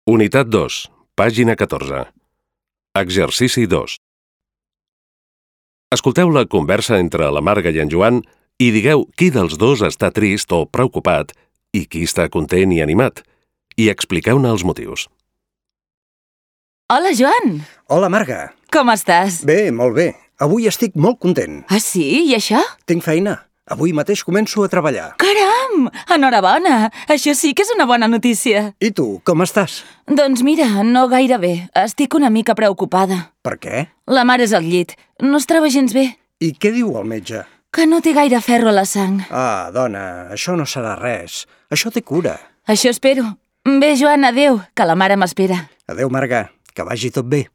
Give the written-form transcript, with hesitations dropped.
Unitat 2, pàgina 14. Exercici 2. Escolteu la conversa entre la Marga i en Joan i digueu qui dels dos està trist o preocupat i qui està content i animat. I expliqueu-ne els motius. Hola, Joan! Hola, Marga. Com estàs? Bé, molt bé. Avui estic molt content. Ah, sí? I això? Tinc feina. Avui mateix començo a treballar. Caram! Enhorabona! Això sí que és una bona notícia. I tu, com estàs? Doncs mira, no gaire bé. Estic una mica preocupada. Per què? La mare és al llit. No es troba gens bé. I què diu el metge? Que no té gaire ferro a la sang. Ah, dona, això no serà res. Això té cura. Això espero. Bé, Joan, adéu, que la mare m'espera. Adéu, Marga. Que vagi tot bé.